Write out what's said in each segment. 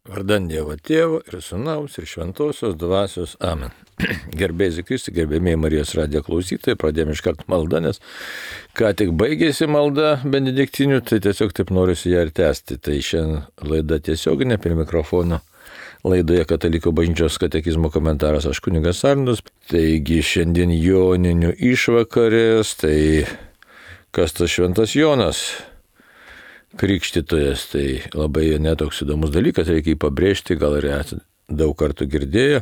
Vardan Dievo Tėvo ir Sūnaus ir Šventosios Dvasios. Amen. Gerbėjai Kristi, gerbėmiai Marijos radijo klausytojai, pradėjome iškart maldą, nes ką tik baigėsi malda benediktinių, tai tiesiog taip norisi ją ir tęsti. Tai šiandien laida tiesioginė prie mikrofono. Laidoje Katalikų bažnyčios katekizmo komentaras aš kunigas Arnoldas. Taigi šiandien joninių išvakarės, tai kas tas Šventas Jonas? Krikštytojas, tai labai netoks įdomus dalykas, reikia jį pabrėžti, gal ir esate daug kartų girdėję.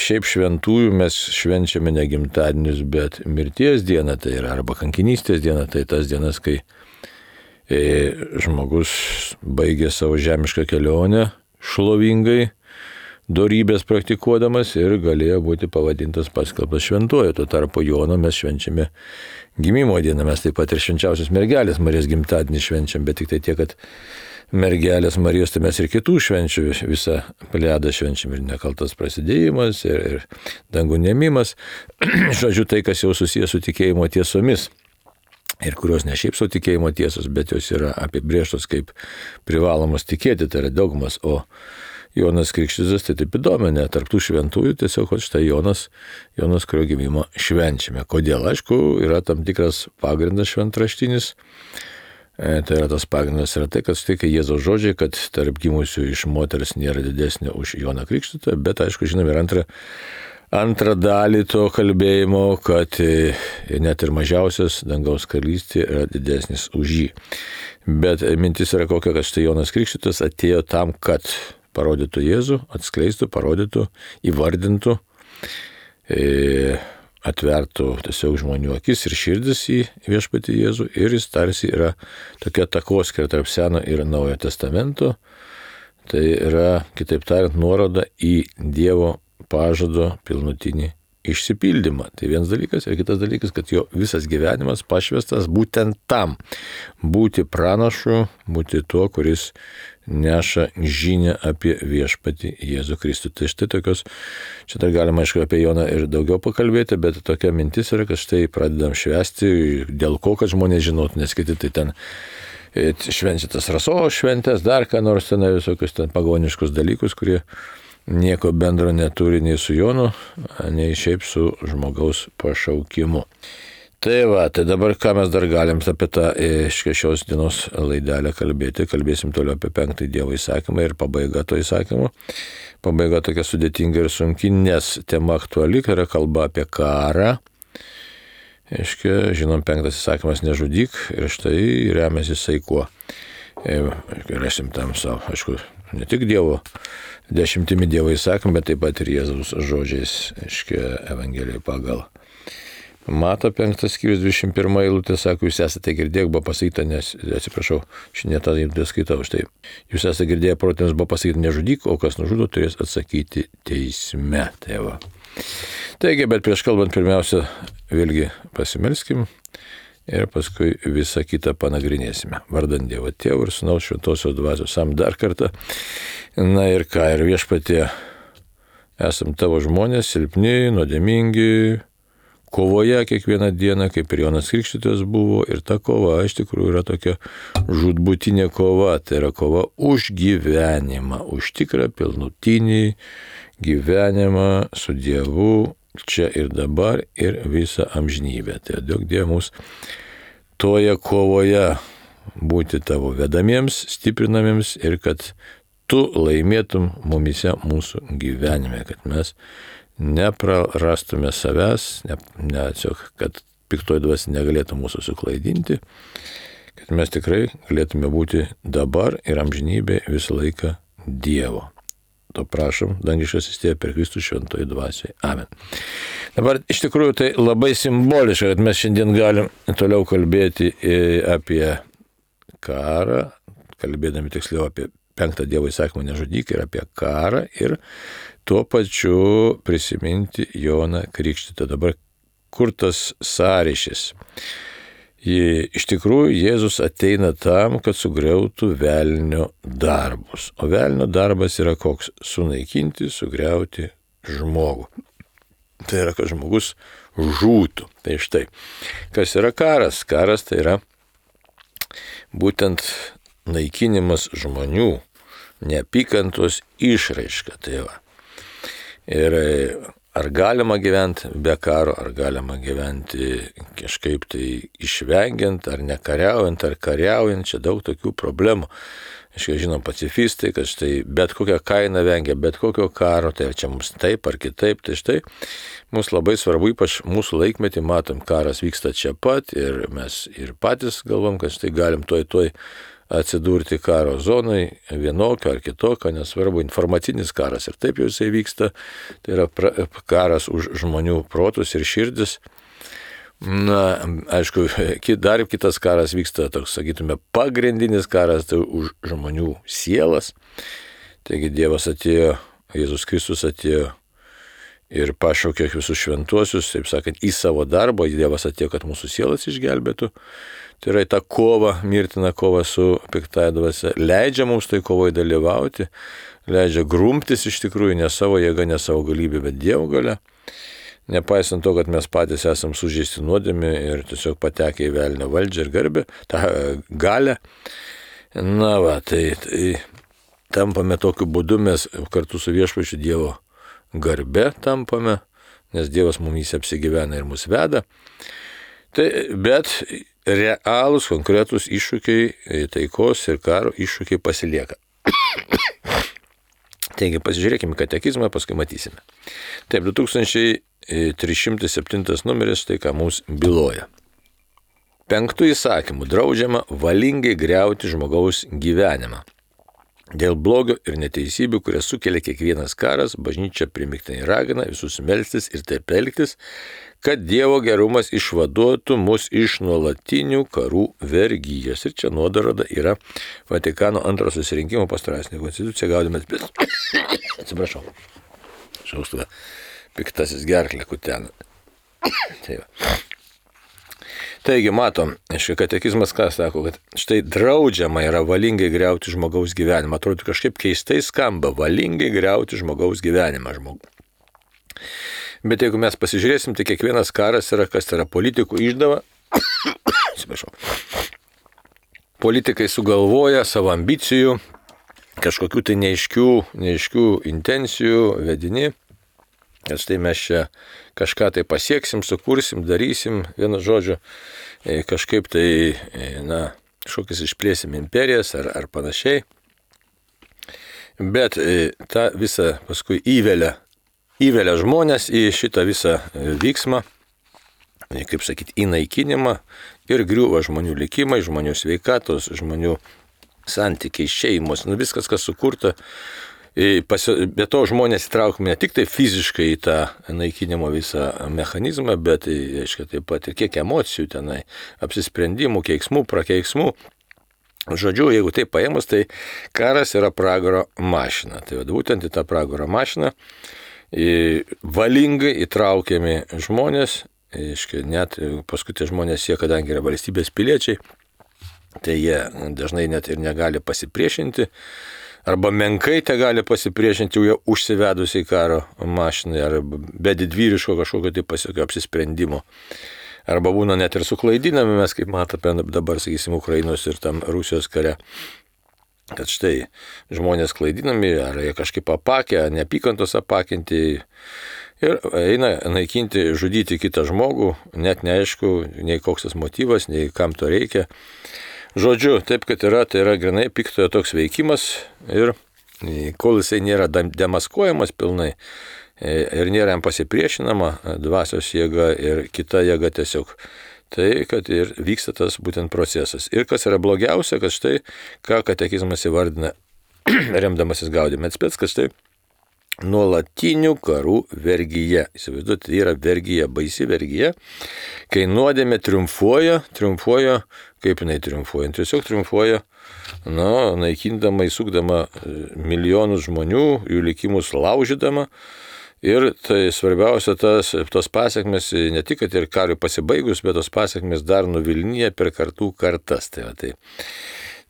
Šiaip šventųjų mes švenčiame ne gimtadienius, bet mirties dieną, tai yra arba kankinystės diena, tai tas dienas, kai žmogus baigė savo žemišką kelionę šlovingai, dorybės praktikuodamas ir galėjo būti pavadintas paskelbtas šventuoju. Tuo tarpu Jono mes švenčiame gimimo dieną, mes taip pat ir švenčiausios mergelės Marijos gimtadienį švenčiam, bet tik tai tiek, kad mergelės Marijos, tai mes ir kitų švenčių visą plejadą švenčiam, ir nekaltas prasidėjimas, ir dangų nėmimas, žodžiu, tai, kas jau susijęs su tikėjimo tiesomis. Ir kurios ne šiaip savo tikėjimo tiesos, bet jos yra apibrėžtos kaip privalomos tikėti, tai yra dogmas, o Jonas Krikštytojas tai taip įdominė, tarptų šventųjų tiesiog štai Jonas, kurio gimimą švenčiame. Kodėl? Aišku, yra tam tikras pagrindas šventraštinis. Tai yra tas pagrindas yra tai, kad štai kai Jėzaus žodžiai, kad tarp gimusių iš moters nėra didesnė už Joną Krikštytoją, bet aišku, žinome, ir antrą dalį to kalbėjimo, kad net ir mažiausias dangaus karalystė yra didesnis už jį. Bet mintis yra kokia, kad štai Jonas Krikštytojas atėjo tam, kad parodytų Jėzų, atskleistų, parodytų, įvardintų, atvertų tiesiog žmonių akis ir širdis į viešpatį Jėzų, ir jis tarsi yra tokia takoskyra tarp Seno ir Naujojo testamento. Tai yra, kitaip tariant, nuoroda į Dievo pažado pilnutinį išsipildymą. Tai vienas dalykas, ir kitas dalykas, kad jo visas gyvenimas pašvestas būtent tam, būti pranašu, būti tuo, kuris neša žinią apie viešpatį Jėzų Kristų. Tai štai tokios, čia dar galima aišku apie Joną ir daugiau pakalbėti, bet tokia mintis yra, kad štai pradedam švęsti, dėl ko, kad žmonės žinotų, nes kiti tai ten švenčia tas rasos šventės, dar ką nors ten, visokius ten pagoniškus dalykus, kurie nieko bendro neturi nei su Jonu, nei šiaip su žmogaus pašaukimu. Tai va, tai dabar ką mes dar galim apie tą šios dienos laidelę kalbėti. Kalbėsim toliau apie 5 Dievo įsakymą ir pabaiga to įsakymo. Pabaiga tokia sudėtinga ir sunki, nes tema aktuali, kai yra kalba apie karą. Žinom, 5 įsakymas nežudyk, ir štai remiasi jisai kuo. Rasim tam savo, aišku, ne tik Dievo, 10 Dievo įsakymą, bet taip pat ir Jėzaus žodžiais, Evangelijoje pagal Mato 5 skyrius 21 eilutė, sako, jūs esate girdėję, buvo pasakyta, nes, atsiprašau, šiandien tą eilutę skaitau, štai, jūs esate girdėję, protėms buvo pasakyta nežudyk, o kas nužudo, turės atsakyti teisme. Tai va. Taigi, bet prieš kalbant, pirmiausia, vėlgi pasimelskim ir paskui visą kitą panagrinėsime. Vardan Dievo Tėvo ir Sūnaus Šventosios Dvasios. Dar kartą. Na ir ką, ir viešpatie, esam tavo žmonės, silpni, nuodėmingi, kovoje kiekvieną dieną, kaip ir Jonas Krikštytojas buvo, ir ta kova iš tikrųjų yra tokia žūtbūtinė kova, tai yra kova už gyvenimą, už tikrą pilnutinį gyvenimą su Dievu čia ir dabar ir visą amžinybę. Tai duok Dieve mums toje kovoje būti tavo vedamiems, stiprinamiems ir kad tu laimėtum mumise mūsų gyvenime, kad mes neprarastume savęs, kad piktoji dvasia negalėtų mūsų suklaidinti, kad mes tikrai galėtume būti dabar ir amžinybė visą laiką Dievo. To prašom, dangiškasis Tėve per Kristų šventoji dvasiai. Amen. Dabar iš tikrųjų tai labai simboliška, kad mes šiandien galim toliau kalbėti apie karą, kalbėdami tiksliau apie 5 Dievo įsakymą nežudyk ir apie karą, ir tuo pačiu prisiminti Joną Krikštytoją. Dabar kur tas sąryšis? Iš tikrųjų, Jėzus ateina tam, kad sugriautų velnio darbus. O velnio darbas yra koks? Sunaikinti, sugriauti žmogų. Tai yra, kad žmogus žūtų. Tai štai, kas yra karas? Karas tai yra būtent naikinimas žmonių, neapykantos išraiška. Tai va. Ir ar galima gyventi be karo, ar galima gyventi kažkaip tai išvengiant, ar nekariaujant, ar kariaujant, čia daug tokių problemų. Žinom, pacifistai, kad štai bet kokią kainą vengia, bet kokio karo, tai čia mums taip ar kitaip, tai štai mums labai svarbu, ypač mūsų laikmetį, matom, karas vyksta čia pat ir mes ir patys galvom, kad štai galim toj atsidurti karo zonai, vienokio ar kitokio, nesvarbu, informacinis karas ir taip jau jisai vyksta, tai yra karas už žmonių protus ir širdis. Na, aišku, dar kitas karas vyksta, toks, sakytume, pagrindinis karas, tai už žmonių sielas. Taigi Dievas atėjo, Jėzus Kristus atėjo ir pašaukė visus šventuosius, taip sakant, į savo darbą. Dievas atėjo, kad mūsų sielas išgelbėtų. Tai yra ta kova, mirtina kova su piktąja dvasia. Leidžia mums tai kovoje dalyvauti, leidžia grumtis iš tikrųjų ne savo jėga, ne savo galybė, bet Dievo galia. Nepaisant to, kad mes patys esam sužeisti nuodėmė ir tiesiog patekę į velnio valdžią ir garbę, tą galę. Na va, tai tampame tokiu būdu, mes kartu su viešpačiu Dievo garbe tampame, nes Dievas mumis apsigyvena ir mus veda. Tai, bet realūs, konkretūs iššūkiai, taikos ir karo iššūkiai pasilieka. Taigi pasižiūrėkime katekizmą, paskui matysime. Taip, 2307 numeris, tai ką mums byloja. 5 įsakymų draudžiama valingai griauti žmogaus gyvenimą. Dėl blogio ir neteisybių, kurias sukelia kiekvienas karas, bažnyčia primygtinai ragina visus melstis ir taip elgtis, kad Dievo gerumas išvaduotų mus iš nuolatinių karų vergyjos. Ir čia nuoroda yra Vatikano antro susirinkimo pastoracinė konstitucija, gaudamės, bet atsiprašau, šaustuvę, piktasis gerklė kutena. Tai va. Taigi matom, katekizmas ką sako, kad štai draudžiama yra valingai griauti žmogaus gyvenimą. Atrodo, kažkaip keistai skamba, valingai griauti žmogaus gyvenimą žmogų. Bet jeigu mes pasižiūrėsim, tai kiekvienas karas yra, kas yra politikų išdava. Atsiprašau. Politikai sugalvoja savo ambicijų, kažkokių tai neaiškių intencijų vedini. Ir štai mes čia kažką tai pasieksim, sukursim, darysim, vienu žodžiu, kažkaip tai, kažkokias išplėsim imperijas ar panašiai. Bet tą visą paskui įvelia žmonės į šitą visą vyksmą, kaip sakyti, įnaikinimą ir griūva žmonių likimai, žmonių sveikatos, žmonių santykiai, šeimos, viskas, kas sukurta. Be to žmonės įtraukime ne tik tai fiziškai į tą naikinimo visą mechanizmą, bet aiškiai, taip pat ir kiek emocijų tenai, apsisprendimų, keiksmų, prakeiksmų. Žodžiu, jeigu tai paėmus, tai karas yra pragaro mašina. Tai būtent į tą pragaro mašiną valingai įtraukiami žmonės, aiškiai, net paskui tie žmonės, kadangi yra valstybės piliečiai, tai jie dažnai net ir negali pasipriešinti, arba menkai te gali pasipriešinti jau užsivedusiai karo mašinai, arba be didvyriško kažkokio tai pasiekio apsisprendimo. Arba būna net ir suklaidinami, mes kaip matome dabar, sakysim, Ukrainos ir tam Rusijos kare, kad štai žmonės klaidinami, ar jie kažkaip apakę, neapykantos apakinti ir eina naikinti, žudyti kitą žmogų, net neaišku, nei koks tas motyvas, nei kam to reikia. Žodžiu, taip, kad tai yra grinai piktojo toks veikimas ir kol jisai nėra demaskuojamas pilnai ir nėra jam pasipriešinama dvasios jėga ir kita jėga tiesiog, tai kad ir vyksta tas būtent procesas. Ir kas yra blogiausia, kad štai, ką katekizmas įvardina, remdamasis Gaudime et Spes, kad štai nuolatinių karų vergyje. Įsivaizduoti, tai yra vergyje, baisi vergyje, kai nuodėmė triumfuoja, kaip jinai triumfuoja? Tiesiog triumfuoja, naikindama, įsukdama milijonus žmonių, jų likimus laužydama. Ir tai svarbiausia, tos pasiekmes, ne tik, kad ir karui pasibaigus, bet tos pasiekmes dar nuvilnyja per kartų kartas.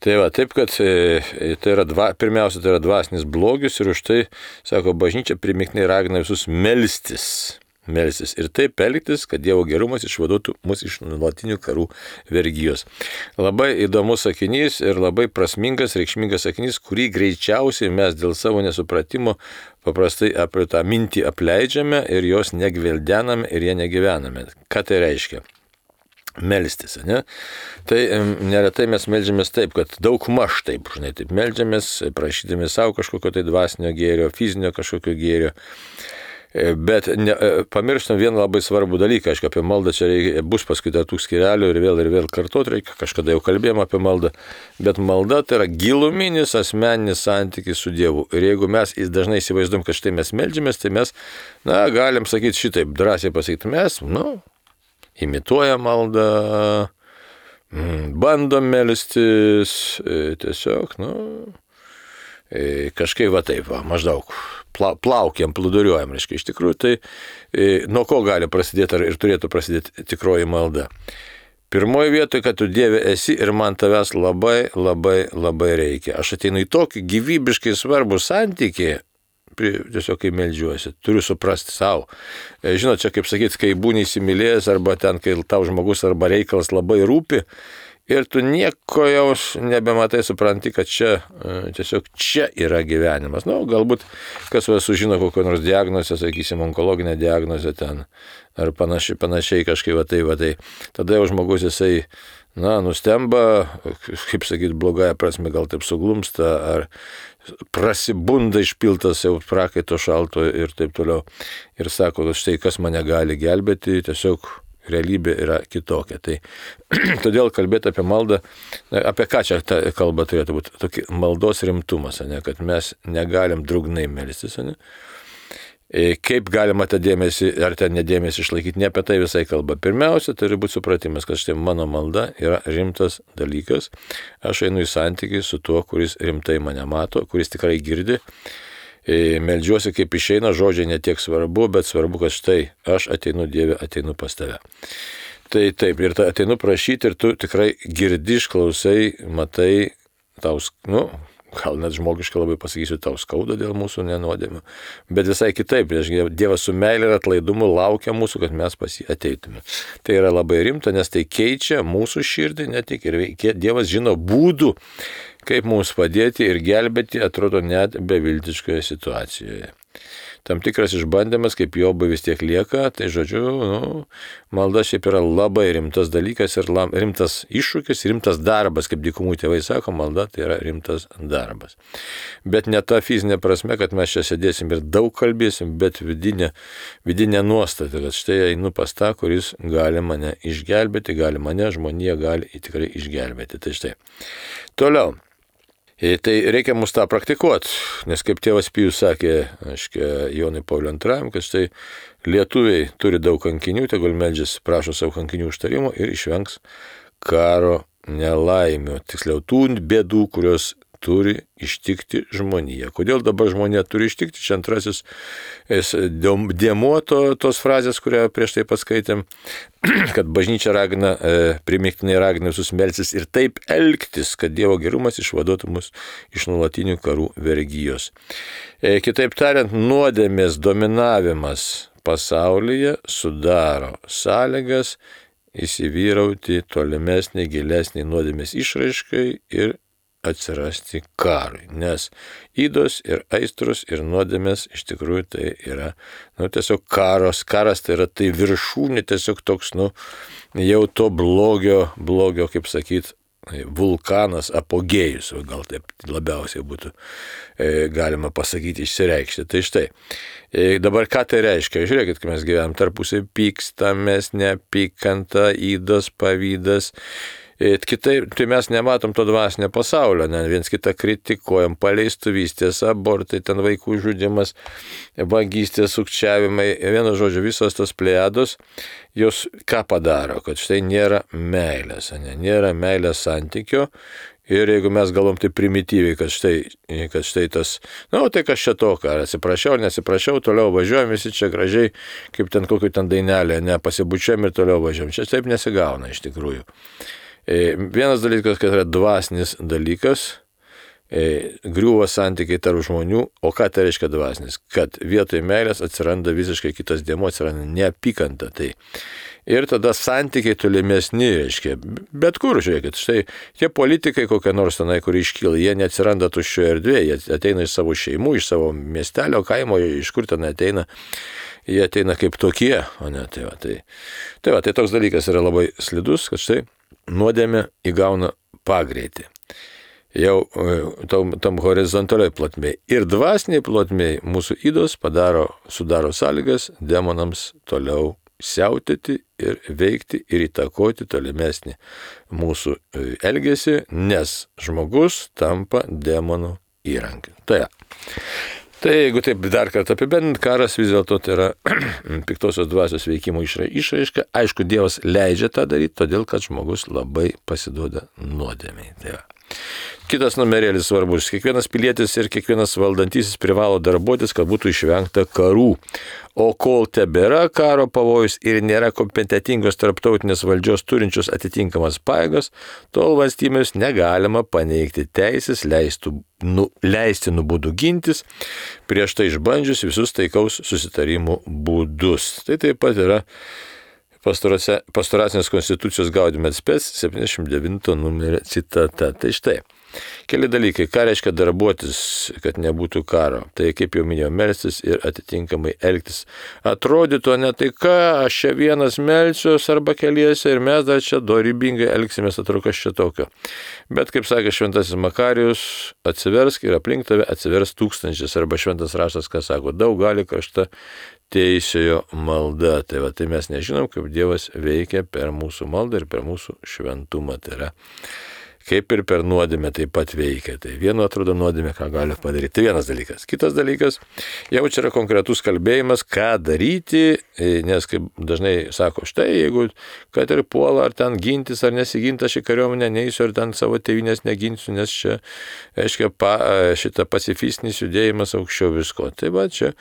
Tai va, taip, kad pirmiausia, tai yra dvasinis blogis ir už tai, sako, bažnyčia primygtinai ragina visus melstis. melstis ir taip elgtis, kad Dievo gerumas išvaduotų mus iš nuolatinių karų vergijos. Labai įdomus sakinys ir labai prasmingas, reikšmingas sakinys, kurį greičiausiai mes dėl savo nesupratimo paprastai apie tą mintį apleidžiame ir jos negvildename ir jie negyvename. Ką tai reiškia? Melstis, ne? Tai neretai mes meldžiamės taip, kad daug maž taip meldžiamės, prašydami savo kažkokio tai dvasinio gėrio, fizinio kažkokio gėrio. Bet pamirštam vieną labai svarbų dalyką, aišku, apie maldą čia bus paskui tų skyrelių ir vėl kartuoti reikia, kažkada jau kalbėjom apie maldą, bet malda tai yra giluminis asmeninis santykis su Dievu. Ir jeigu mes dažnai įsivaizduom, kad štai mes meldžiamės, tai mes, galim sakyti šitaip, drąsiai pasakyti, mes, imituojam maldą, bandom melstis, tiesiog, kažkaip va taip, maždaug plaukiam, plūduriuojam, reiškia. Iš tikrųjų, tai nuo ko gali prasidėti ir turėtų prasidėti tikroji malda. Pirmoji vietoje, kad tu Dieve esi ir man tavęs labai, labai, labai reikia. Aš ateinu į tokį gyvybiškai svarbų santykį, tiesiog kai meldžiuosi, turiu suprasti savo. Žinot, čia kaip sakyti, kai būni įsimylėjęs arba ten, kai tau žmogus arba reikalas labai rūpi ir tu nieko jau nebematai, supranti, kad tiesiog čia yra gyvenimas. Galbūt kas sužino kokią nors diagnozę, sakysim, onkologinę diagnozę ten ar panašiai kažkaip va tai. Tada jau žmogus jisai nustemba, kaip sakyti, blogąją prasme, gal taip suglumsta, ar prasibunda išpiltas jau prakaito šalto ir taip toliau. Ir sako, kad štai kas mane gali gelbėti, tiesiog realybė yra kitokia. Tai todėl kalbėti apie maldą, apie ką čia ta kalba turėtų būti, tokį maldos rimtumas, kad mes negalim drugnai melstis, kaip galima tą dėmesį ar ten nedėmesį išlaikyti, ne apie tai visai kalba. Pirmiausia, turi būti supratimas, kad štai mano malda yra rimtas dalykas. Aš einu į santykį su tuo, kuris rimtai mane mato, kuris tikrai girdi. Meldžiuosi kaip išeina, žodžiai netiek svarbu, bet svarbu, kad štai aš ateinu Dieve, ateinu pas tave. Tai taip, ir ateinu prašyti ir tu tikrai girdi, išklausai, matai, tau, gal net žmogiškai labai pasakysiu, tau skauda dėl mūsų nenuodėmių, bet visai kitaip, Dievas su meilė ir atlaidumu laukia mūsų, kad mes pas jį ateitume. Tai yra labai rimta, nes tai keičia mūsų širdį, ne tik ir Dievas žino būdų, kaip mums padėti ir gelbėti, atrodo, net beviltiškoje situacijoje. Tam tikras išbandymas, kaip Jobui vis tiek lieka, tai žodžiu, malda šiaip yra labai rimtas dalykas ir rimtas iššūkis, rimtas darbas, kaip dykumų tėvai sako, malda tai yra rimtas darbas. Bet ne ta fizinė prasme, kad mes čia sėdėsim ir daug kalbėsim, bet vidinė nuostata, kad štai einu pas tą, kuris gali mane išgelbėti, žmonija gali tikrai išgelbėti. Tai štai. Toliau. Tai reikia mus tą praktikuoti, nes kaip tėvas Pijus sakė, Jonui Pauliui II, kad štai lietuviai turi daug kankinių, tegul meldžiasi, prašo savo kankinių užtarimo ir išvengs karo nelaimių, tiksliau tų bėdų, kurios turi ištikti žmoniją. Kodėl dabar žmonija turi ištikti? Čia antrasis dėmuo tos frazės, kurią prieš tai paskaitėm, kad bažnyčia primygtinai ragina visus melstis ir taip elgtis, kad Dievo gerumas išvaduotų mus iš nuolatinių karų vergijos. Kitaip tariant, nuodėmės dominavimas pasaulyje sudaro sąlygas įsivyrauti tolimesnį, gilesnį nuodėmės išraiškai ir atsirasti karui, nes ydos ir aistros ir nuodėmės iš tikrųjų tai yra, tiesiog karas tai yra tai viršūnė, tiesiog toks, jau to blogio, kaip sakyt, vulkanas, apogėjus, gal taip labiausiai būtų galima pasakyti, išsireikšti. Tai štai, dabar ką tai reiškia? Žiūrėkit, kai mes gyvenam tarpusai pykstamės, neapykanta, ydos, pavydas. Kitaip, tai mes nematom to dvasinio pasaulio, viens kitą kritikuojam, paleistuvystės, abortai, ten vaikų žudimas, vagystės, sukčiavimai, vienu žodžiu, visos tos plejados, jos ką padaro, kad štai nėra meilės, nėra meilės santykio. Ir jeigu mes galvom tai primityviai, kad štai tas, tai kas čia to, ar atsiprašiau, nesiprašiau, toliau važiuojam visi čia gražiai, kaip ten kokiu ten dainelė, pasibučiam ir toliau važiuojam. Čia taip nesigauna iš tikrųjų. Vienas dalykas, kad yra dvasinis dalykas, griūva santykiai tarp žmonių, o ką tai reiškia dvasinis? Kad vietoj meilės atsiranda visiškai kitas dėmuo, atsiranda neapykanta. Tai. Ir tada santykiai tolimesni, reiškia, bet kur, žiūrėkit, štai tie politikai kokie nors tenai, kur iškyla, jie neatsiranda tuščioje erdvėje, jie ateina iš savo šeimų, iš savo miestelio, kaimo, iš kur ten ateina, jie ateina kaip tokie, o ne tai va. Tai toks dalykas yra labai slidus, kad štai nuodėmė įgauna pagreitį. Jau tam horizontaliai plotmėje ir dvasiniai plotmėje mūsų ydos sudaro sąlygas demonams toliau siautėti ir veikti ir įtakoti tolimesnį mūsų elgesį, nes žmogus tampa demonų įrankiu. Tai jeigu taip dar kartą apibendrint, karas vis dėlto tai yra piktosios dvasios veikimo išraiška. Aišku, Dievas leidžia tą daryti, todėl kad žmogus labai pasiduoda nuodėmei. Kitas numerėlis svarbus. Kiekvienas pilietis ir kiekvienas valdantysis privalo darbuotis, kad būtų išvengta karų. O kol tebėra karo pavojus ir nėra kompetentingos tarptautinės valdžios turinčios atitinkamas pajėgas, tol valstybės negalima paneigti teisės leistinų būdų gintis, prieš tai išbandžius visus taikaus susitarimų būdus. Tai taip pat yra Pastoracinės konstitucijos Gaudium et Spes 79 numerio citata. Tai štai, keli dalykai, ką reiškia darbuotis, kad nebūtų karo. Tai kaip jau minėjau, melstis ir atitinkamai elgtis. Atrodytų, ne tai ką, aš čia vienas melsiuos arba keliese ir mes dar čia dorybingai elgsimės, atrodo, kas čia tokio. Bet, kaip sakė šventasis Makarijus, atsiversk ir aplink tave atsivers tūkstančiais, arba šventas raštas, kas sako, daug gali krašta teisėjo malda. Tai mes nežinom, kaip Dievas veikia per mūsų maldą ir per mūsų šventumą. Tai yra, kaip ir per nuodėmę taip pat veikia. Tai vienu atrodo nuodėmė, ką gali padaryti. Tai vienas dalykas. Kitas dalykas, jau čia yra konkretus kalbėjimas, ką daryti, nes kaip dažnai sako, štai jeigu kad ir puola, ar ten gintis, ar nesiginti, aš į kariuomenę neįsiu, ar ten savo tėvynės neginsiu, nes čia, aiškia, šitą pacifistinis judėjimas aukščiau visko. Tai va čia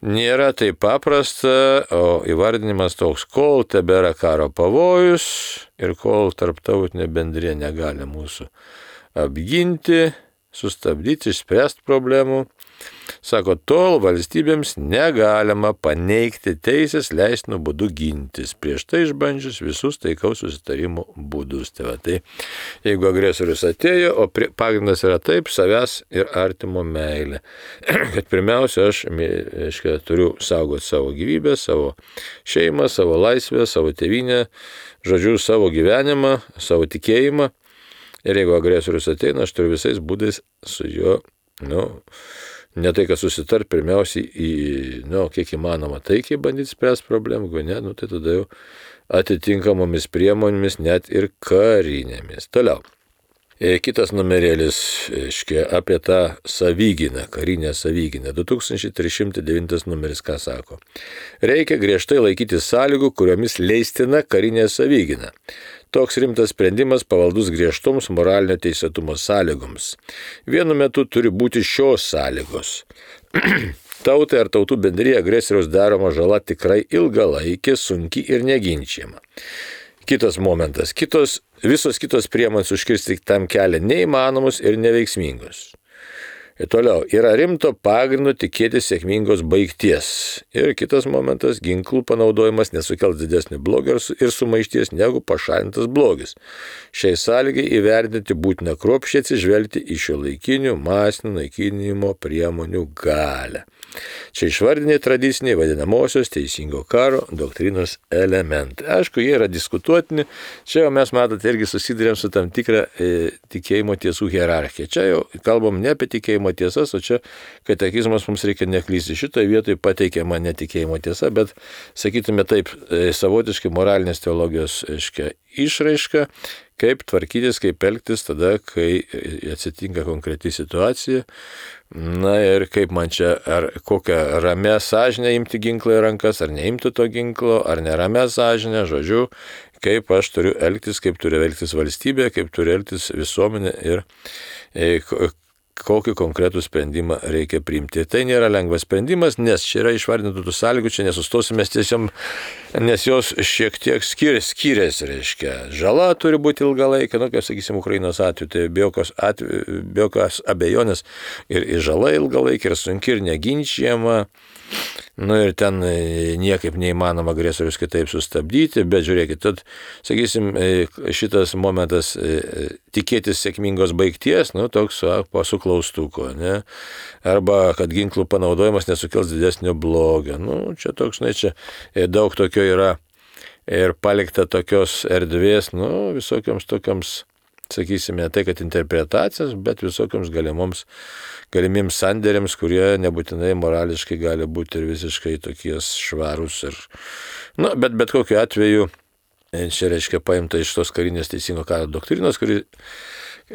nėra taip paprasta, o įvardinimas toks, kol tebėra karo pavojus ir kol tarptautinė bendrija negali mūsų apginti, sustabdyti, išspręsti problemų. Sako, tol valstybėms negalima paneigti teisės leistinų būdų gintis, prieš tai išbandžius visus taikaus susitarimų būdus. Tai jeigu agresorius atėjo, o pagrindas yra taip, savęs ir artimo meilė. Kad pirmiausia, aš turiu saugoti savo gyvybę, savo šeimą, savo laisvę, savo tėvynę, žodžiu, savo gyvenimą, savo tikėjimą. Ir jeigu agresorius ateina, aš turiu visais būdais su juo, ne tai, kad susitart, pirmiausiai kiek įmanoma taikiai bandyti spręsti problemą, jeigu ne, tai tada jau atitinkamomis priemonėmis, net ir karinėmis. Toliau. Kitas numerėlis, apie tą savygyną, karinę savygyną. 2309 numeris, ką sako. Reikia griežtai laikyti sąlygų, kuriomis leistina karinė savygyna. Toks rimtas sprendimas pavaldus griežtoms moralinio teisėtumo sąlygoms. Vienu metu turi būti šios sąlygos. Tautai ar tautų bendrija agresoriaus daroma žala tikrai ilgalaikė, sunki ir neginčiama. Kitas momentas. Visos kitos priemonės užkirsti tam kelią neįmanomus ir neveiksmingus. Ir toliau, yra rimto pagrindo tikėtis sėkmingos baigties. Ir kitas momentas, ginklų panaudojimas nesukels didesnį blogį ir sumaišties negu pašalintas blogis. Šiai sąlygai įvertinti būtina kruopščiai atsižvelgti į šiuolaikinių masinių naikinimo priemonių galią. Čia išvardiniai tradiciniai vadinamosios teisingo karo doktrinos elementai. Aišku, jie yra diskutuotini. Čia jau mes matote irgi susidurėm su tam tikra tikėjimo tiesų hierarchija. Čia jau kalbam ne apie tikėjimo tiesas, o čia katekizmas mums reikia neklysti. Šitoje vietoje pateikiama netikėjimo tiesa, bet sakytume taip, savotiškai moralinės teologijos išraiška, kaip tvarkytis, kaip elgtis tada, kai atsitinka konkreti situacija. Na ir kaip man čia, ar kokią ramę sąžinę imti ginklą į rankas, ar neimti to ginklo, ar neramę sąžinę, žodžiu, kaip aš turiu elgtis, kaip turi elgtis valstybė, kaip turi elgtis visuomenė ir kokį konkretų sprendimą reikia priimti. Tai nėra lengvas sprendimas, nes čia yra išvardintų tų sąlygų, čia nesustosime tiesiog, nes jos šiek tiek skiriasi, reiškia. Žala turi būti ilgalaikė, kaip sakysim, Ukrainos atveju, tai be jokios abejonės ir žala ilgalaikė, ir sunki, ir neginčiama. Ir ten niekaip neįmanoma agresorius kitaip sustabdyti, bet žiūrėkit, tad, sakysim, šitas momentas tikėtis sėkmingos baigties, toks su klaustuku, ne? Arba kad ginklų panaudojimas nesukels didesnio blogio. Čia toks, čia daug tokio yra ir palikta tokios erdvės, visokioms tokiams, sakysime, tai kad interpretacijos, bet visokioms galimiems sandėriams, kurie nebūtinai morališkai gali būti ir visiškai tokie švarūs. Bet kokiu atveju, čia reiškia paimta iš tos karinės teisingo karo doktrinos, kuri,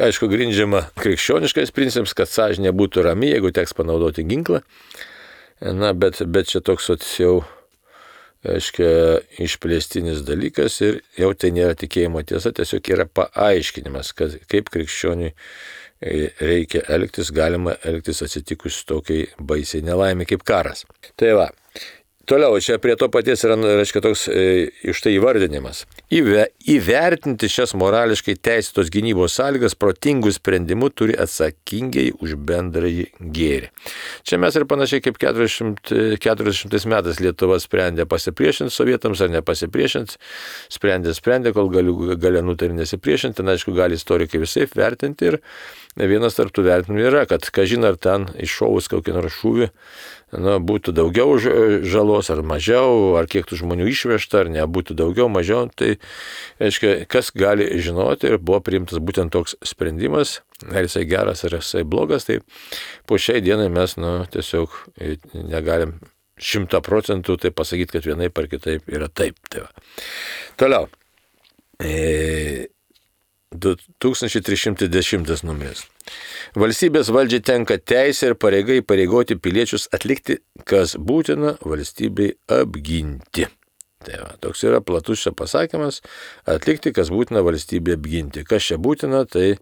aišku, grindžiama krikščioniškais principais, kad sąžinė būtų rami, jeigu teks panaudoti ginklą. Bet čia toks jau, aiškia, išplėstinis dalykas ir jau tai nėra tikėjimo tiesa, tiesiog yra paaiškinimas, kaip krikščioniui reikia elgtis, galima elgtis atsitikus tokiai baisiai nelaimė kaip karas. Tai va. Toliau, čia prie to paties yra, reiškia, toks iš tai įvardinimas. Įvertinti šias morališkai teisėtos gynybos sąlygas protingų sprendimų turi atsakingai už bendrąjį gėrį. Čia mes ir panašiai kaip 40 metais Lietuva sprendė pasipriešinti sovietams ar nepasipriešinti, sprendė, kol galia nutarė nesipriešinti, ten, aišku, gali istorikai visai vertinti ir vienas tarp tų vertinimų yra, kad kažin ar ten iššovus kokį nors šūvį, būtų daugiau žalos ar mažiau, ar kiek tų žmonių išvežta, ar nebūtų daugiau, mažiau, tai, reiškia, kas gali žinoti, ir buvo priimtas būtent toks sprendimas, ar jisai geras, ar jisai blogas, tai po šiai dienai mes, tiesiog negalim 100% tai pasakyti, kad vienaip ar kitaip yra taip. Tai va. Toliau. 2310 numeris. Valstybės valdžiai tenka teisė ir pareiga įpareigoti piliečius atlikti, kas būtina valstybei apginti. Tai va, toks yra platus čia pasakymas, atlikti, kas būtina valstybei apginti. Kas čia būtina, tai,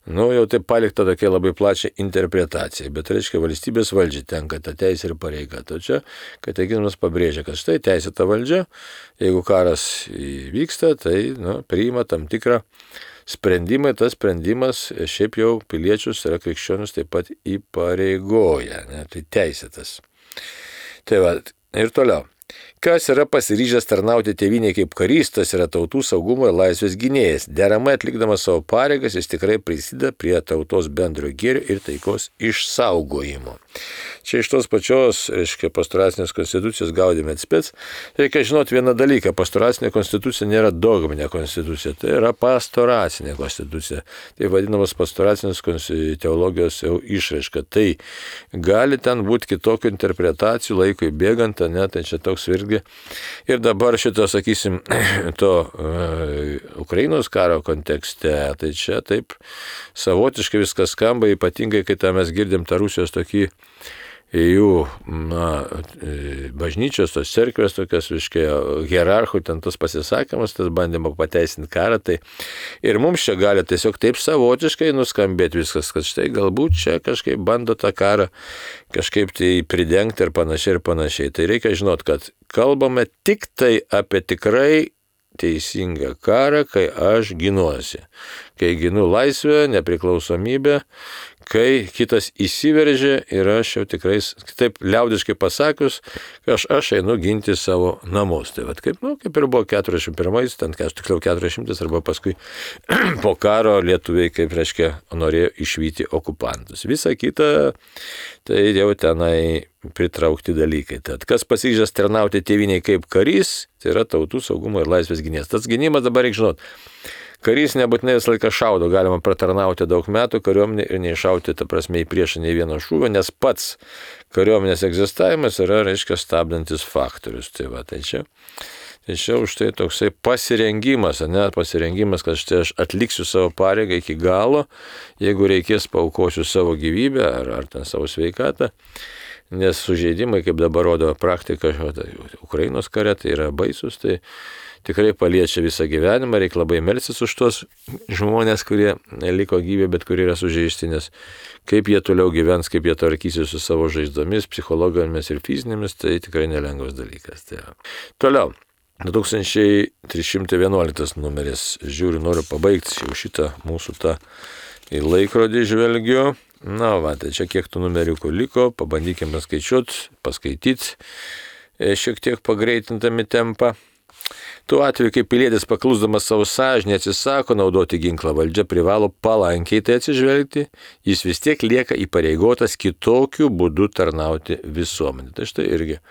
jau tai palikta tokia labai plačia interpretacija, bet reiškia valstybės valdžiai tenka ta teisė ir pareiga. Tačiau katekizmas pabrėžia, kad štai teisėta valdžia, jeigu karas vyksta, tai priima tam tikrą sprendimai, tas sprendimas šiaip jau piliečius yra krikščionius taip pat įpareigoja, tai teisėtas. Tai va, ir toliau. Kas yra pasiryžęs tarnauti tėvynėje kaip karys, tas yra tautų saugumo ir laisvės gynėjas. Deramai atlikdamas savo pareigas, jis tikrai prisideda prie tautos bendro gėrio ir taikos išsaugojimo. Čia iš tos pačios, reiškia, pastoracinės konstitucijos gaudėme atspėts. Reikia žinoti vieną dalyką, pastoracinė konstitucija nėra dogminė konstitucija, tai yra pastoracinė konstitucija. Tai vadinamas pastoracinės teologijos jau išraiška. Tai gali ten būti kitokių interpretacijų laikui bėgant, tai čia toks irgi. Ir dabar šito, sakysim, to Ukrainos karo kontekste, tai čia taip savotiškai viskas skamba, ypatingai, kai mes girdim tą Rusijos tokį jų bažnyčios, tos cerkvės, tokias, hierarchų, ten tas pasisakymas, tas bandymo pateisinti karą, tai ir mums čia gali tiesiog taip savotiškai nuskambėti viskas, kad štai galbūt čia kažkaip bando tą karą kažkaip tai pridengti ir panašiai. Tai reikia žinot, kad kalbame tik tai apie tikrai teisingą karą, kai aš ginuosi, kai ginu laisvę, nepriklausomybę, kai kitas įsiveržia ir aš jau tikrai, taip liaudiškai pasakius, aš einu ginti savo namus. Tai vat kaip ir buvo 41-ais, ten tiksliau 400 arba paskui po karo lietuviai, kaip reiškia, norėjo išvyti okupantus. Visa kita, tai jau tenai pritraukti dalykai. Tad kas pasiryžęs tarnauti tėvynei kaip karys, tai yra tautų saugumo ir laisvės gynėjas. Tas gynimas dabar reikia žinot. Karys nebūtinai visą laiką šaudo, galima pratarnauti daug metų kariuomenė ir neiššauti, ta prasme, į priešą nei vieno šūvio, nes pats kariuomenės egzistavimas yra, reiškia, stabdantis faktorius. Tai va, tai čia už tai toksai pasirengimas, kad štai aš atliksiu savo pareigą iki galo, jeigu reikės paaukosiu savo gyvybę ar ten savo sveikatą, nes sužeidimai, kaip dabar rodo praktika, Ukrainos kare, tai yra baisus, tai tikrai paliečia visą gyvenimą, reikia labai melstis už tos žmonės, kurie liko gyvi, bet kurie yra sužeisti, nes kaip jie toliau gyvens, kaip jie tvarkysis su savo žaizdomis, psichologinėmis ir fizinėmis, tai tikrai nelengvas dalykas. Tai toliau. 2311 numeris. Žiūriu, noriu pabaigti jau šitą mūsų tą į laikrodį žvelgiu. Na, tai čia kiek tų numeriukų liko, pabandykime skaičiuoti, paskaityti, šiek tiek pagreitintami tempą. Tuo atveju, kai pilietis paklusdamas savo sąžinę atsisako naudoti ginklą, valdžia privalo palankiai tai atsižvelgti, jis vis tiek lieka įpareigotas kitokiu būdu tarnauti visuomenį. Tai štai irgi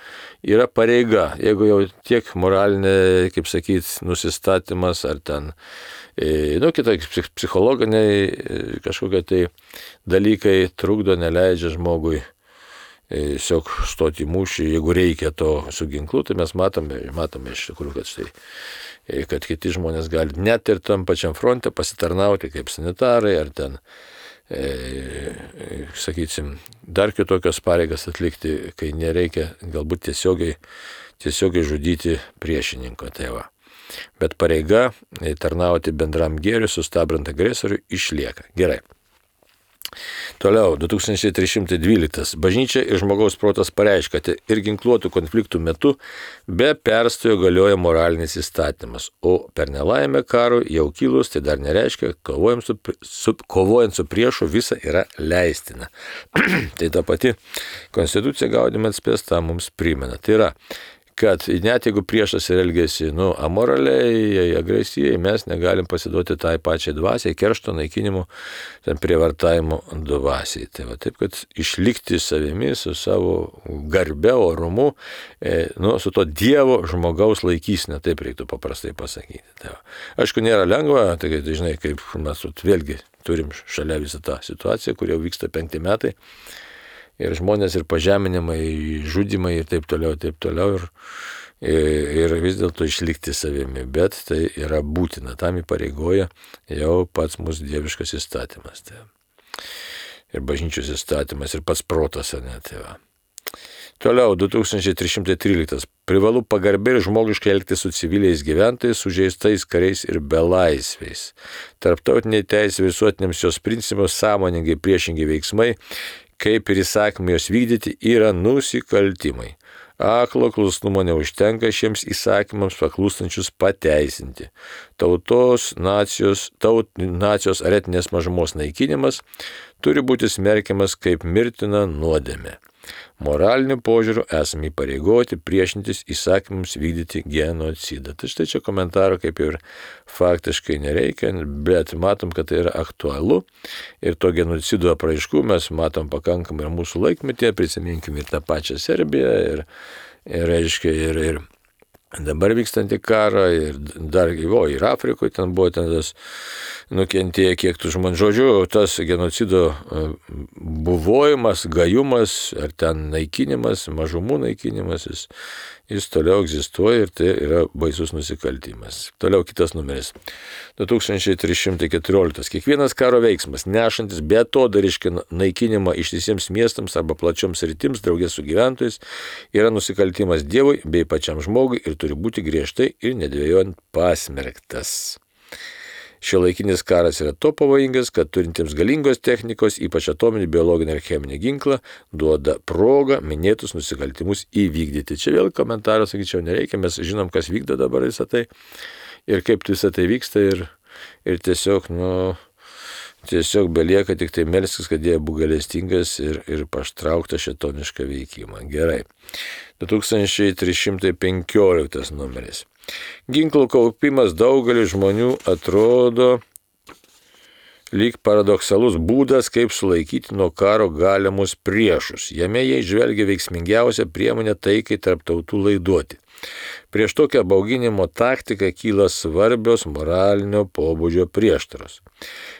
yra pareiga, jeigu jau tiek moralinė, kaip sakyti, nusistatymas ar ten, kitai psichologiniai kažkokie tai dalykai trukdo, neleidžia žmogui tiesiog stoti į mūšį, jeigu reikia to su ginklu, tai mes matome iš tikrųjų, kad kiti žmonės gali net ir tam pačiam fronte pasitarnauti kaip sanitarai ar ten, sakysim, dar kitokios pareigas atlikti, kai nereikia galbūt tiesiogiai žudyti priešininko tėvą. Bet pareiga tarnauti bendram gėriui, sustabdant agresorių, išlieka. Gerai. Toliau, 2312. Bažnyčia ir žmogaus protas pareiškia, kad ir ginkluotų konfliktų metu be perstojo galioja moralinis įstatymas, o per nelaimę karui jau kilus, tai dar nereiškia, kovojant su priešu visa yra leistina. Tai ta pati konstitucija Gaudium et Spes tą mums primena. Tai yra, kad net jeigu priešas ir elgesi amoraliai, agresyviai, mes negalim pasiduoti tai pačiai dvasiai, keršto, naikinimo, ten prievartavimo dvasiai. Tai va taip, kad išlikti savimi, su savo garbe, orumu, su to Dievo žmogaus laikysne, taip reiktų paprastai pasakyti. Tai va. Aišku, nėra lengva, tai žinai, kaip mes vėlgi turim šalia visą tą situaciją, kur jau vyksta 5 metai. Ir žmonės, ir pažeminimai, žudimai ir taip toliau, ir vis dėlto išlikti savimi, bet tai yra būtina, tam įpareigoja jau pats mūsų dieviškas įstatymas. Tai. Ir bažnyčios įstatymas, ir pats protas, net. Toliau, 2313. Privalu pagarbiai ir žmogiškai elgtis su civiliais gyventojais, sužeistais kariais ir belaisviais. Tarptautiniai teisė visuotiniams jos principams sąmoningai priešingi veiksmai, kaip ir įsakymai jos vykdyti, yra nusikaltimai. Aklo klusnumo neužtenka šiems įsakymams paklūstančius pateisinti. Tautos, nacijos ar etinės mažumos naikinimas turi būti smerkiamas kaip mirtina nuodėmė. Moraliniu požiūriu esame įpareigoti priešintis įsakymams vykdyti genocidą. Tai štai čia komentaro kaip ir faktiškai nereikia, bet matom, kad tai yra aktualu ir to genocido apraiškų mes matom pakankamai ir mūsų laikmetyje, prisiminkim ir tą pačią Serbiją ir dabar vykstantį karą ir dar ir Afrikoje ten buvo tas nukentėję kiek tų žmonių. Žodžiu, tas genocido buvojimas, gajumas ar ten naikinimas, mažumų naikinimas, jis toliau egzistuoja ir tai yra baisus nusikaltimas. Toliau kitas numeris. 2314. Kiekvienas karo veiksmas, nešantis beatodarišką naikinimą ištisiems miestams arba plačioms sritims draugės su gyventojais, yra nusikaltimas Dievui bei pačiam žmogui ir turi būti griežtai ir nedvejojant pasmerktas. Šiuolaikinis karas yra to pavojingas, kad turintiems galingos technikos, ypač atominį, biologinį ir cheminį ginklą, duoda progą minėtus nusikaltimus įvykdyti. Čia vėl komentarą, sakyčiau, nereikia, mes žinom, kas vykdo dabar visą tai ir kaip visą tai vyksta ir tiesiog belieka tik tai melstis, kad Dievas būtų gailestingas ir paštraukta šėtonišką veikimą. Gerai. 2315 numeris. Ginklų kaupimas daugeliu žmonių atrodo lyg paradoksalus būdas, kaip sulaikyti nuo karo galimus priešus. Jame jie žvelgia veiksmingiausią priemonę taikai tarp tautų laiduoti. Prieš tokią bauginimo taktiką kyla svarbios moralinio pobūdžio prieštaros.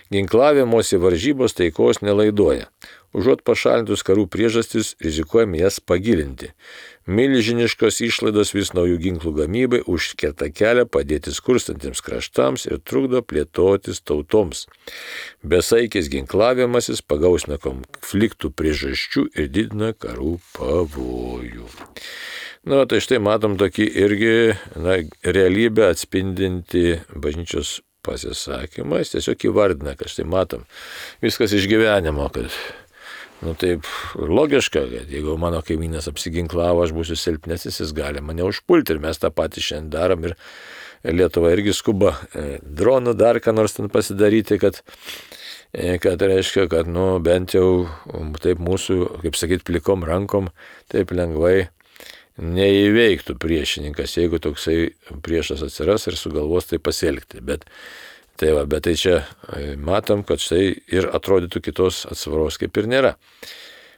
Ginklavimosi varžybos taikos nelaiduoja. Užuot pašalintus karų priežastis, rizikuojame jas pagilinti. Milžiniškos išlaidos vis naujų ginklų gamybai užkerta kelią padėti skurstantiems kraštams ir trukdo plėtotis tautoms. Besaikis ginklavimasis pagausina konfliktų priežasčių ir didina karų pavojų. Tai štai matom tokį irgi realybę atspindinti bažnyčios pasisakymą. Jis tiesiog įvardina, kad štai matom viskas iš gyvenimo, kad taip logiška, kad jeigu mano kaimynas apsiginklavo, aš būsiu silpnesnis, jis gali mane užpulti ir mes tą patį šiandien darom ir Lietuva irgi skuba dronų dar ką nors ten pasidaryti, kad reiškia, kad bent jau taip mūsų, kaip sakyt, plikom rankom taip lengvai neįveiktų priešininkas, jeigu toksai priešas atsiras ir sugalvos tai pasielgti. Bet tai čia matom, kad štai ir atrodytų kitos atsvaros kaip ir nėra.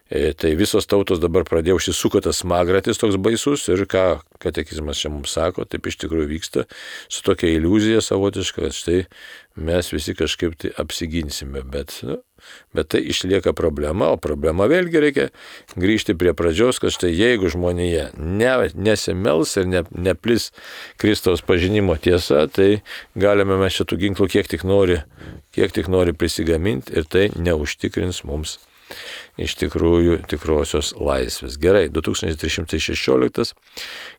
Tai visos tautos dabar pradėjo užsisuko tas smagratis toks baisus ir ką katekizmas čia mums sako, taip iš tikrųjų vyksta su tokia iliuzija savotiška, kad štai mes visi kažkaip tai apsiginsime, bet tai išlieka problema, o problema vėlgi reikia grįžti prie pradžios, kad štai jeigu žmonėje nesimels ir neplis Kristaus pažinimo tiesa, tai galime mes šitų ginklų kiek tik nori prisigaminti ir tai neužtikrins mums iš tikrųjų tikrosios laisvės. Gerai, 2316.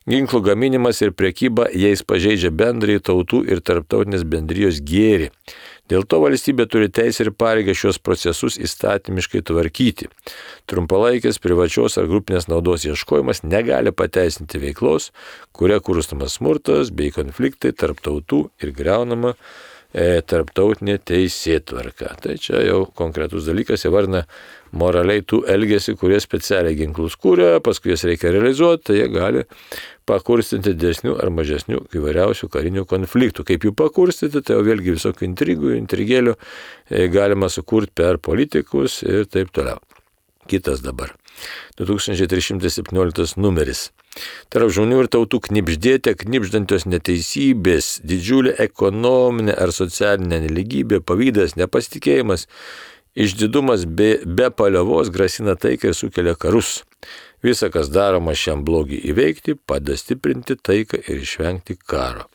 Ginklų gaminimas ir prekyba jais pažeidžia bendrąjį tautų ir tarptautinės bendrijos gėrį. Dėl to valstybė turi teisę ir pareigą šios procesus įstatymiškai tvarkyti. Trumpalaikės, privačios ar grupinės naudos ieškojimas negali pateisinti veiklos, kuria kurstomas smurtas bei konfliktai tarp tautų ir griaunama tarptautinė teisėtvarka. Tai čia jau konkretus dalykas, įvardina moraliai tų elgesi, kurie specialiai ginklus kūrė, paskui jas reikia realizuoti, tai jie gali pakurstinti didesnių ar mažesnių įvairiausių karinių konfliktų. Kaip jų pakurstyti, tai jau vėlgi visokių intrigėlių galima sukurti per politikus ir taip toliau. Kitas dabar. 2317 numeris. Tarp žmonių ir tautų knibždėte knibždantios neteisybės, didžiulė ekonominė ar socialinė nelygybė, pavydas, nepasitikėjimas, išdidumas be paliovos grasina taiką ir sukelia karus. Visa, kas daroma šiam blogį įveikti, padeda stiprinti taiką ir išvengti karo.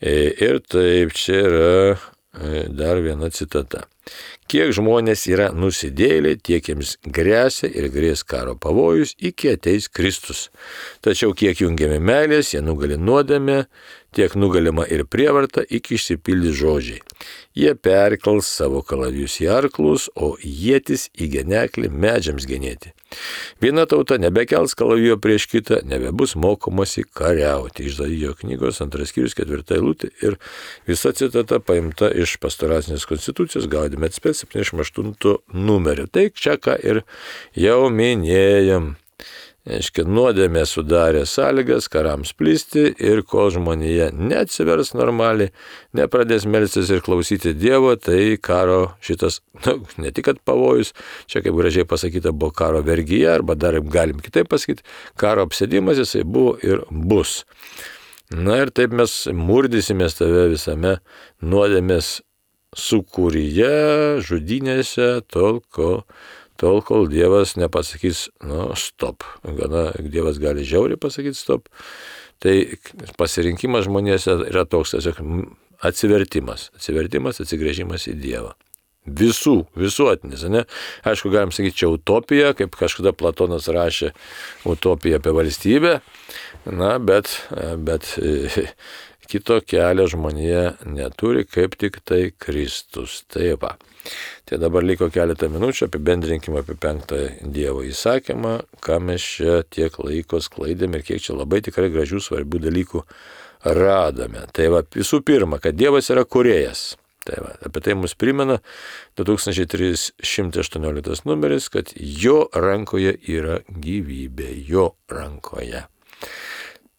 Ir taip čia yra dar viena citata. Kiek žmonės yra nusidėjėliai, tiek jiems grėsia ir grės karo pavojus, iki ateis Kristus. Tačiau kiek jungiami meilės, jie nugali nuodėmę, tiek nugalima ir prievarta, iki išsipildys žodžiai. Jie perkels savo kalavijus į arklus, o ietis į geneklį medžiams genėti. Viena tauta nebekels kalavijo prieš kitą, nebebus mokomasi kariauti. Išdaijo knygos 2 skyrius 4 eilutė ir visa citata paimta iš pastoracinės konstitucijos Gaudium et Spes 78 numerio. Tai čia ką ir jau minėjom. Nuodėmė sudarė sąlygas karams plisti ir kol žmonėje neatsivers normaliai, nepradės melstis ir klausyti Dievo, tai karo šitas, ne tik kad pavojus, čia kaip gražiai pasakyta, buvo karo vergyje, arba dar galim kitaip pasakyti, karo apsėdimas jisai buvo ir bus. Ir taip mes murdysimės tave visame nuodėmės sukūryje, žudynėse, tol, kol Dievas nepasakys, stop. Gana Dievas gali žiauriai pasakyti stop. Tai pasirinkimas žmonėse yra toks, tiesiog atsivertimas, atsigręžimas į Dievą. Visuotinis, ne? Aišku, galim sakyti, čia utopija, kaip kažkada Platonas rašė utopiją apie valstybę, bet kito kelio žmonėje neturi, kaip tik tai Kristus. Tai va. Tai dabar liko keletą minučių, apibendrinkime apie 5 Dievo įsakymą, ką mes čia tiek laiko sklaidėme ir kiek čia labai tikrai gražių svarbių dalykų radome. Tai va, visų pirma, kad Dievas yra kūrėjas. Tai va, apie tai mus primena 2318 numeris, kad jo rankoje yra gyvybė, jo rankoje.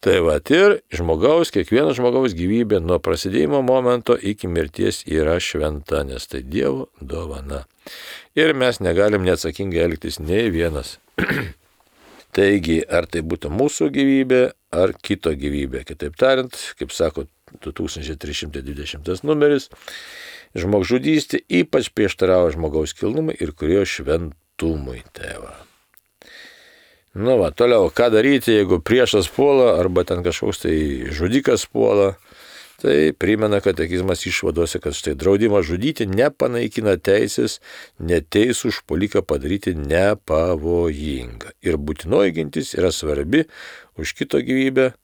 Tai va, ir kiekvieno žmogaus gyvybė nuo prasidėjimo momento iki mirties yra šventa, nes tai Dievo dovana. Ir mes negalim neatsakingai elgtis nei vienas. Taigi, ar tai būtų mūsų gyvybė, ar kito gyvybė. Kitaip tariant, kaip sako 2320 numeris, žmogžudystė ypač prieštarauja žmogaus kilnumui ir kūrėjo šventumui. Tai va. Toliau, ką daryti, jeigu priešas puola, arba ten kažkoks tai žudikas puola, Tai primena katekizmas išvadose, kad štai draudimas žudyti nepanaikina teisės neteisų užpuoliką padaryti nepavojingą. Ir būtinoji gintis yra svarbi už kito gyvybę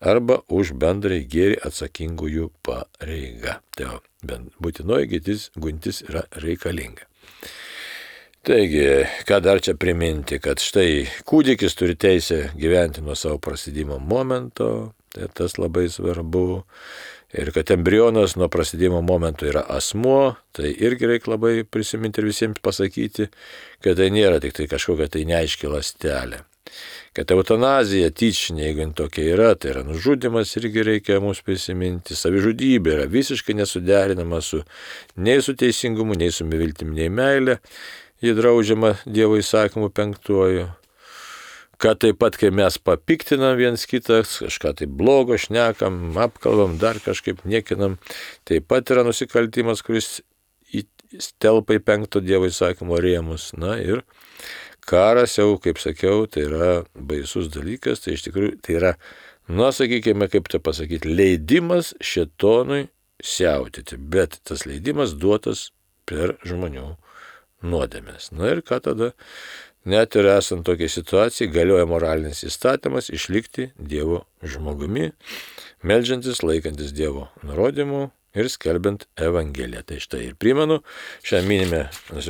arba už bendrai gėrį atsakingųjų pareiga. Tai būtinoji gintis yra reikalinga. Taigi, ką dar čia priminti, kad štai kūdikis turi teisę gyventi nuo savo prasidėjimo momento, tai tas labai svarbu. Ir kad embrionas nuo prasidėjimo momento yra asmuo, tai irgi reikia labai prisiminti ir visiems pasakyti, kad tai nėra tik tai kažkokia tai neaiški ląstelė. Kad eutanazija tyčinė, jeigu tokia yra, tai yra nužudymas, irgi reikia mums prisiminti. Savižudybė yra visiškai nesuderinama nei su teisingumu, nei su viltimi, nei meilė. Ji draudžiama Dievo įsakymu 5. Kad taip pat, kai mes papiktinam viens kitas, kažką tai blogo šnekam, apkalbam, dar kažkaip niekinam, taip pat yra nusikaltimas, kuris telpa į 5 Dievo įsakymo rėmus. Na ir karas jau, kaip sakiau, tai yra baisus dalykas, tai iš tikrųjų tai yra, sakykime, kaip tai pasakyti, leidimas šėtonui siautėti, bet tas leidimas duotas per žmonių nuodėmės. Na ir ką tada? Net ir esant tokiai situacijai galioja moralinis įstatymas išlikti Dievo žmogumi, meldžiantis, laikantis Dievo nurodymų ir skelbiant Evangeliją. Tai štai ir primenu, šiandien minime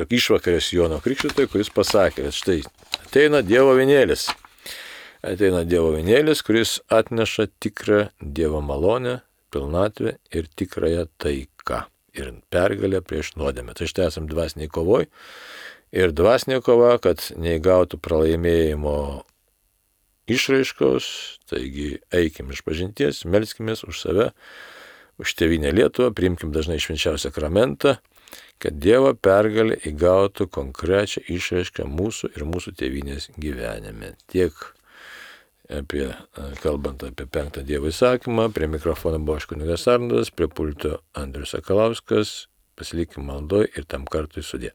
išvakarės Jono Krikštytojo, kuris pasakė, kad štai ateina Dievo avinėlis. Ateina Dievo avinėlis, kuris atneša tikrą Dievo malonę, pilnatvę ir tikrąją taiką ir pergalę prieš nuodėmę. Tai štai esam dvasiniai kovoj. Ir dvasinė kova, kad neįgautų pralaimėjimo išraiškos, taigi eikim iš pažinties, melskimės už save, už tėvynę Lietuvą, priimkim dažnai švenčiausią sakramentą, kad Dievo pergalė įgautų konkrečią išraišką mūsų ir mūsų tėvynės gyvenime. Tiek kalbant apie 5 Dievo įsakymą, prie mikrofono buvo kunigas Arnoldas, prie pulto Andrius Sakalauskas, pasilikim maldoj ir tam kartui sudie.